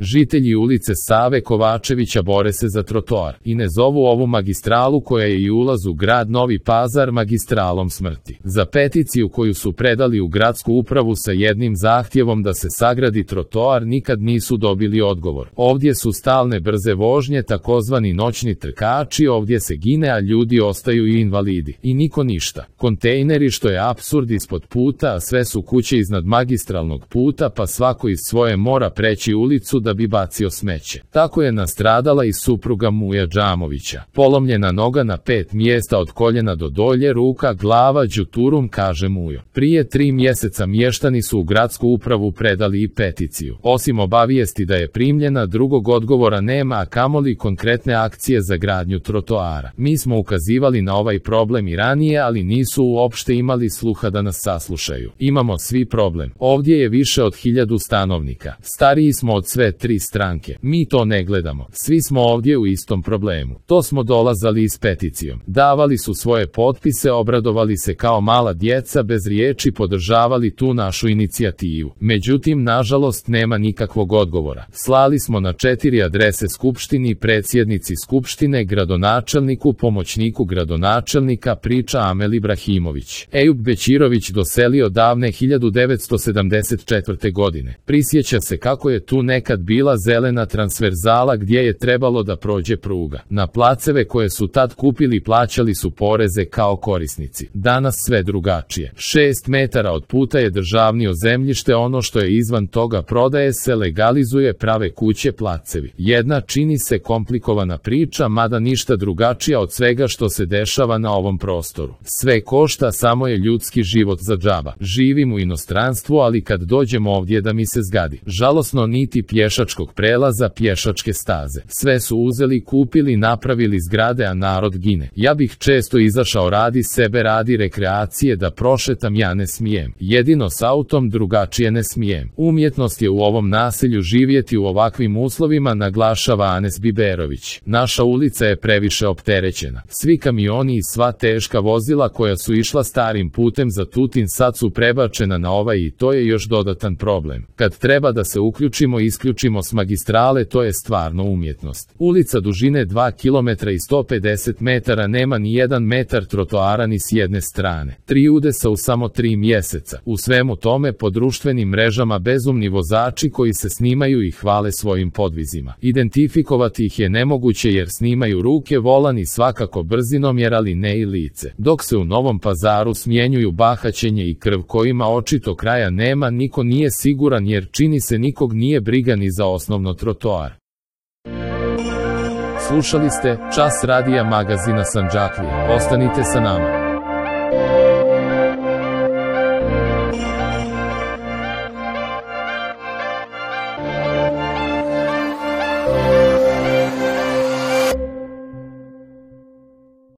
Žitelji ulice Save Kovačevića bore se za trotoar i ne zovu ovu magistralu koja je i ulaz u grad Novi Pazar magistralom smrti. Za peticiju koju su predali u gradsku upravu sa jednim zahtjevom da se sagradi trotoar nikad nisu dobili odgovor. Ovdje su stalne brze vožnje, takozvani noćni trkači, ovdje se gine, a ljudi ostaju i invalidi. I niko ništa. Kontejneri, što je apsurd, ispod puta, a sve su kuće iznad magistralnog puta, pa svako iz svoje mora preći ulicu da bi bacio smeće. Tako je nastradala i supruga Muja Džamovića. Polomljena noga na 5 mjesta od koljena do dolje, ruka, glava, đuturum, kaže Mujo. Prije 3 mjeseca mještani su u gradsku upravu predali i peticiju. Osim obavijesti da je primljena, drugog odgovora nema, a kamoli konkretne akcije za gradnju trotoara. Mi smo ukazivali na ovaj problem i ranije, ali nisu uopšte imali sluha da nas saslušaju. Imamo svi problem. Ovdje je više od 1000 stanovnika. Stariji smo od sve 3 stranke. Mi to ne gledamo. Svi smo ovdje u istom problemu. To smo dolazali i s peticijom. Davali su svoje potpise, obradovali se kao mala djeca, bez riječi podržavali tu našu inicijativu. Međutim, nažalost, nema nikakvog odgovora. Slali smo na 4 adrese skupštini, predsjednici skupštine, gradonačelniku, pomoćniku gradonačelnika, priča Amel Ibrahimović. Ejub Bećirović doselio davne 1974. godine. Prisjeća se kako je tu nekad bila zelena transverzala gdje je trebalo da prođe pruga. Na placeve koje su tad kupili plaćali su poreze kao korisnici. Danas sve drugačije. 6 metara od puta je državnio zemljište, ono što je izvan toga prodaje se, legalizuje, prave kuće, placevi. Jedna čini se komplikovana priča, mada ništa drugačija od svega što se dešava na ovom prostoru. Sve košta, samo je ljudski život za džaba. Živim u inostranstvu, ali kad dođem ovdje da mi se zgadi. Žalosno, niti pješačkog prelaza, pješačke staze. Sve su uzeli, kupili, napravili zgrade, a narod gine. Ja bih često izašao radi sebe, radi rekreacije, da prošetam, ja ne smijem. Jedino s autom, drugačije ne smijem. Umjetnost je u ovom naselju živjeti u ovakvim uslovima, naglašava Anes Biberović. Naša ulica je previše opterećena. Svi kamioni i sva teška vozila koja su išla starim putem za Tutin sad su prebačena na ovaj i to je još dodatan problem. Kad treba da se uključimo, isključimo s magistrale, to je stvarno umjetnost. Ulica dužine 2 km i 150 metara nema ni 1 metar trotoara ni s jedne strane. 3 udesa u samo 3 mjeseca. U svemu tome po društvenim mrežama bezumni vozači koji se snimaju i hvale svojim podvizima. Identifikovati ih je nemoguće jer snimaju ruke, volan i svakako brzinomjer, ali ne i lice. Dok se u Novom Pazaru smjenjuju bahaćenje i krv kojima očito kraja nema, niko nije siguran jer čini se nikog nije briga ni za osnovno trotoar. Slušali ste Čas radija magazina Sandžaklije. Ostanite sa nama.